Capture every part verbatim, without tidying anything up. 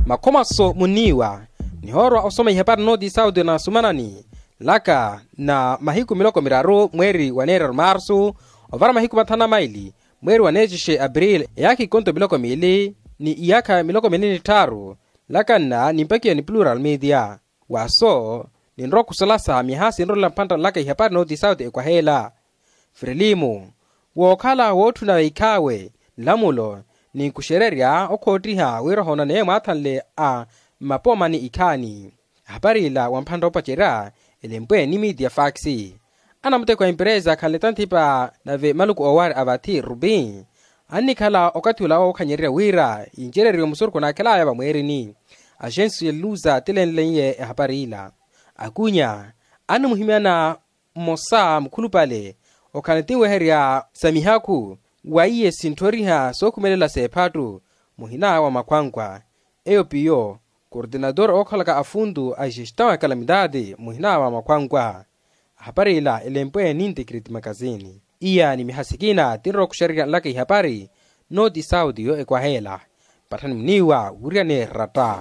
Makhomaso muniiwa nihoorwa osoma ihapari nooti sauti na sumanani laka na mahiku miloko miraru mweeri wa neeraru marsu, ovara mahiku mathanu na maili mweeri wa neexixe april, eyaakha ikonto miloko miili ni iyaakha miloko miili ni tthaaru. Laka nna nimpakiwa ni plural media. Waaso ninrowa okusalasa miha sinrolela mphantta laka ihapari nooti sauti ekwaheela. Frelimu wookhala wootthuna ikhaawe nlamulo ninkuxererya okhoottiha wira ohoonaneye mwaathanle a mmapoomani ikhaani. Ahapari ila wa mphantta opacerya elempwe ni miiti ya faksi. Anamuteko a emperesa akhanle tanthipa nave maluku oowaari a vathi rubi annikhala okathi ula wookhanyererya wira yincereriwe musurukhu naakhelaya vamweerini. Axensi ya luza tilenleiye ehapari ila. Akunya animuhimyana mmosa mukhulupale okhala ni tinweherya sa mihakhu wa iye sintthoriha sookhumelela s'ephattu muhina wa makhwankwa. Eyo piyo kortenator ookhalaka afuntu a gestão a calamidade muhina wa makhwankwa. Ahapari ila elempwe ni integrity makazini. Iya ni miha sikina tinrowa okuxererya nlaka ihapari nooti sauti yo ekwaheela. Patthani muniiwa wiriyaneerya ratta.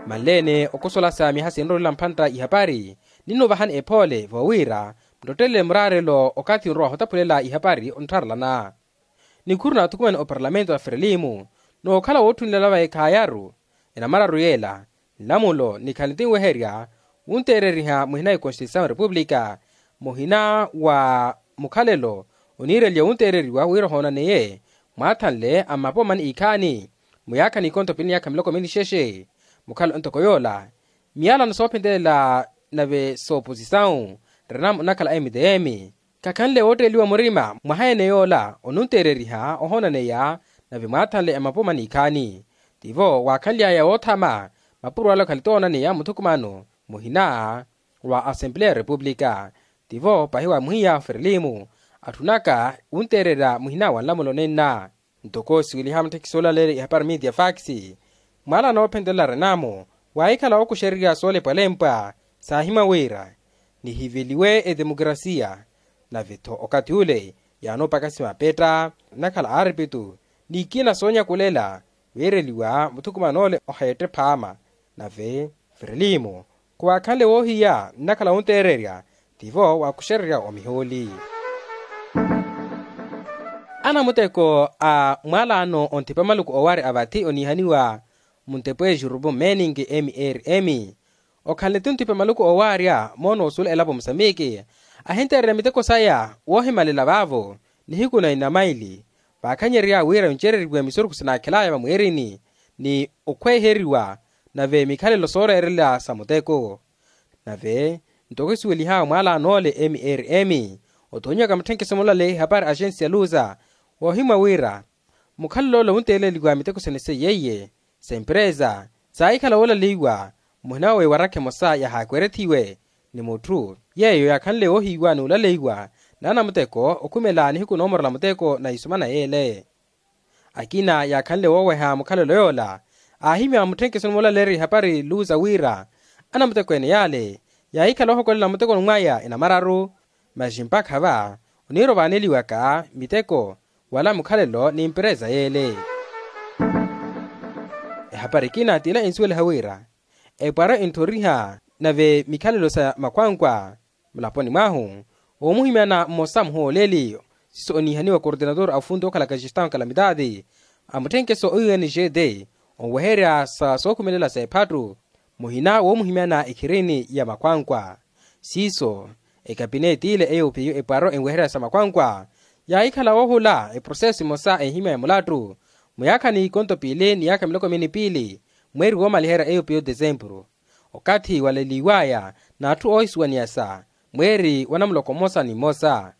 Manleene okosolasa miha sinrolela mphantta ihapari ninno ovahani ephoole voowira mutottelele muraarelo okathi onrowa ohotaphulela ihapari onttharalana. Nikhuru naathukumene oparlamento a frelimu nookhala wootthunilela va ekhaayaru enamararu yeela nlamulo nikhale tinweherya wunteereriha muhina ekonstituisawu repupulika muhina wa mukhalelo oniireliwa wunteereriwa wira ohoonaneye mwaathanle a mmapoomani ikhaani. Muyaakha n'ikonto piili ni yaakha miloko miili ni xexe mukhalelo ntoko yoola miyalano soophentelela nave sooposisawu renamo nnakhala a mtm khakhanle wootteeliwa murima mwaha ene yoola onunteereriha ohoonaneya nave mwaathanle a mmapoomani ikhaani. Tivo waakhanly'aya woothama mapuro ale okhale toonaneya muthukumano muhina wa assembleya ya repupulika. Tivo pahi wa muhiya frelimu atthunaka wunteererya muhina wa nlamulo nenna. Ntoko siweliha mutthekisi olaleerya ihapari miiti ya faksi mwaala noophentelela renamo waahikhala wookuxererya soolepwalempwa saahimwa wira nihiveliwe etemokrasiya. Nave-tho okathi ule yaanoopakasi mapetta nnakhala aaripittu n'ikina soonyakulela weereliwa muthukuman'ole oheette phaama. Nave frelimu khuwaakhanle woohiya nnakhala wunteererya tivo waakuxererya omihooli. Anamuteko a mwalaano onthipa maluku owaari a vathi oniihaniwa muntepwe jurupu meningi mrm okhanle ti onthipa maluku owaarya moona osuula elapo musambiki ahinteererya miteko saya woohimalela vaavo nihiku na inamaili vaakhanyerya wira vincereriwe misurukhu sinaakhelaya vamwiirini ni okhweeheriwa nave mikhalelo sooreerela sa muteko. Nave ntoko kisuwelihawe mwalaan'ole mrm othonyiwaka mutthenkeso mulale ihapari axensi ya luza woohimwa wira mukhalelo ole wunteeleliwa miteko sene seiye iye sempresa saahikhala woolaleiwa muhina wa wewarakha emosa yahaakwerethiwe ni mutthu yeeyo yaakhanle woohiiwa n'ulaleiwa n'anamuteko okhumela nihiku noomorela muteko na isumana yeele. Akina yaakhanle wooweha mukhalelo yoola aahimya mutthenkeso nimulaleerya ihapari luza wira anamuteko ene yaale yaahikhala ohokolela mutekoni mwaya enamararu. Masi mpakha va oniira ovaaneliwaka miteko wala mukhalelo n'imperesa yeele. Ehapari ekina t'ila ensuweliha wira epwaro entthoriha nave mikhalelo sa makhwankwa mulaponi mwahu omuhimyana mmosa muhooleli siiso oniihaniwa kortenator a ofunti okhalaka gestão calamidade a mutthenkeso o ungd onweherya sa sookhumelela s'ephattu muhina woomuhimyana ekhirini ya makhwankwa. Siiso ekapineti ile eyo piyo epwaro enweherya sa makhwankwa yaahikhala woohula eproseso emosa ehimya ya mulattu muyaakha n'ikonto piili ni yaakha miloko miili ni piili mweeri woomaliherya eyo piyo desempuru okathi waleliwaya n'atthu oohisuwaniyasa mweeri wa namuloko mmosa ni mmosa.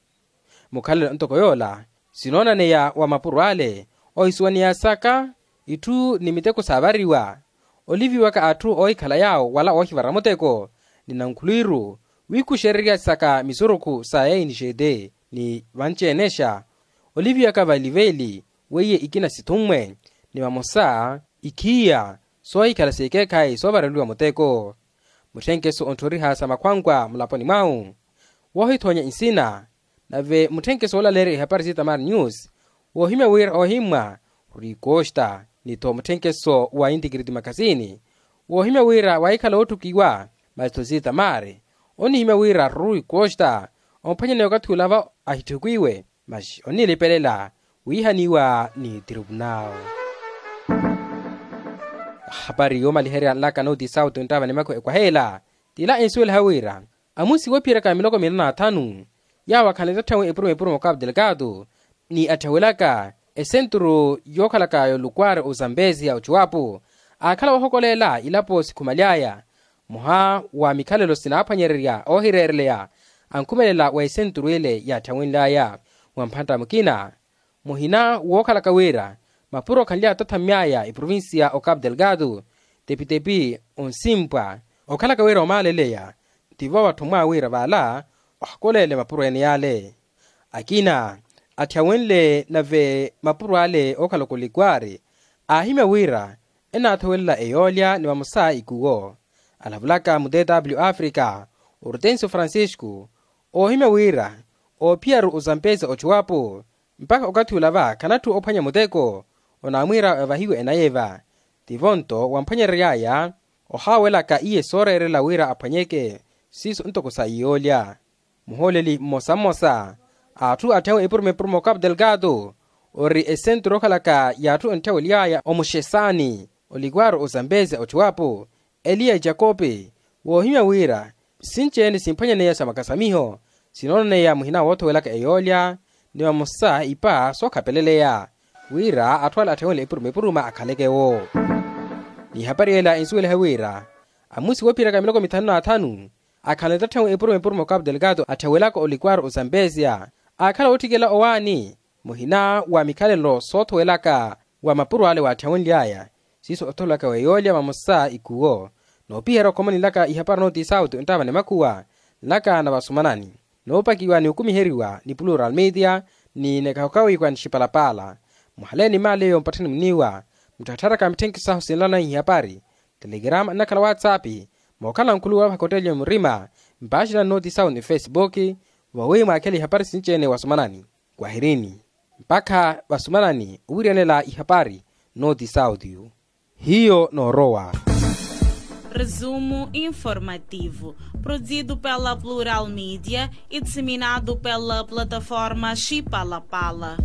Mukhalelo ntoko yoola sinoonaneya wa mapuro ale ohisuwaniyasaka itthu ni miteko saavariwa oliviwaka atthu oohikhala yaawo wala oohivara muteko ni nankhulwiru wiikuxereryasaka misurukhu sa ya inixete ni vanci-enexa oliviwaka vali veeli weiye ikina sithummwe ni vamosa ikhiya soohikhala s'ekeekhayi soovareliwa muteko. Mutthenkeso ontthoriha sa makhwankwa mulaponi mwahu woohithonya nsina nave mutthenkeso woolaleerya ihapari s'itamar news Woohimya wira ohimmwa rui costa ni-tho mutthenkeso wa intikiriti makasini woohimya wira waahikhala oottukiwa masi-tho sitamari, onnihimya wira rui costa omphwanyaneya okathi olava ahitthukiwe masi onnilipelela wiihaniwa ni tripunal. Hapari yoomaliherya nlaka nooti sauti onttaava ni makhuwa ekwaheela, tila ensuweliha wira amusi woophiyeraka miloko minana na thanu yaawo akhanle tatthawi epuruma epuruma okapu delgado ni atthawelaka esenturu yookhalaka yolukwari ozambezia ochuwapu aakhala woohokolela ilapo sikhumaly'aya. Mmoha wa mikhalelo sinaaphwanyererya oohireereleya ankhumelela wa esenturu ile yaatthawenly'aya mwa mphantta mukina muhina wookhalaka wira mapuro khanly'aya tathammy'aya eprovincia okapu delgado tepitepi onsimpwa okhalaka wira omaaleleya tivo watthummwa wira vaala ohakoleele mapuro ene yaale. Akina atthyawenle nave mapuro ale ookhala okolikwari aahimya wira enaathowelela eyoolya ni vamosa ikuwo alavulaka mu tw africa ortensio francisco oohimya wira oophiyaru ozampesa ochuwapo mpakha okathi olava khanatthu ophwanya muteko onaamwiira evahiwe enayeva. Tivo nto wamphwanyerery'aya ohaawelaka iye sooreerela wira aphwanyeke siiso ntoko sa iyoolya. Muhooleli mmosa mmosa a atthu atthawe epuruma epuruma okapu delgado ori esenturu okhalaka y'atthu entthawery'aya omuxesani olikwaaru ozambezia ochuwapo eliya jakope woohimya wira sinci-ene simphwanyaneya sa makasamiho sinoonaneya muhina woothowelaka eyoolya ni vamosa ipa sookhapeleleya wira atthu ale atthawenle epuruma epuruma akhaleke-wo. N'ihapari ela ensuweliha wira amusi woophiyeraka miloko mithanu n'athanu akhanle tatthawi epuruma epuruma okapu delgado atthawelaka olikwaaru ozambezia aakhala wootthikela owaani muhina wa mikhalelo soothowelaka wa mapuro ale waatthawenly'aya siiso othowelaka wa eyoolya vamosa ikuwo. Noopiherya okhomani nlaka ihapari nooti sauti onttaava ni makhuwa nlaka na vasumanani noopakiwa ni okumiheriwa ni plural media ni nekahukawiwa ni xipalapaala. Muhaleeni maaleyo mpatthani muniiwa mutthattharaka mitthenkiso sahu sinlana ihapari telegrama nnakhala whatsapp mookhala nkhuluwa vahakottelya murima mpaaxinani nooti sauti ni facebook vawi mwaakhele ihapari sinci-ene wasumanani. Kwahirini mpakha vasumanani owiriyanela ihapari nooti sauti. Hiyo noorowa. Resumo informativo produzido pela plural media e disseminado pela plataforma xipalapala.